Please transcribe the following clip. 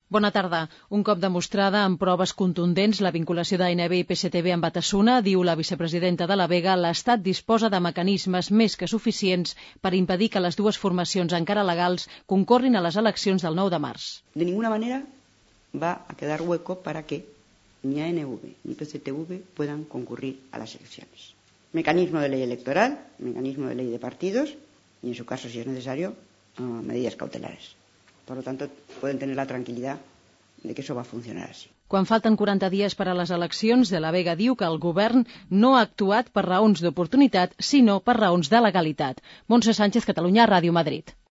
Bona tarda. Un cop demostrada amb proves contundents la vinculació d'ANB i PSTB amb Batasuna, diu la vicepresidenta de la Vega, l'Estat disposa de mecanismes més que suficients per impedir que les dues formacions encara legals concorrin a les eleccions del 9 de març. De ninguna manera va a quedar hueco para que ni ANV ni PSTV puedan concurrir a las elecciones. Mecanismo de ley electoral, mecanismo de ley de partidos y, en su caso, si es necesario, medidas cautelares. Por lo tanto, pueden tener la tranquilidad de que eso va a funcionar así. Quan falten 40 dies per a les eleccions, de la Vega diu que el govern no ha actuat per raons d'oportunitat, sinó per raons de legalitat. Montse Sánchez, Catalunya, Ràdio Madrid.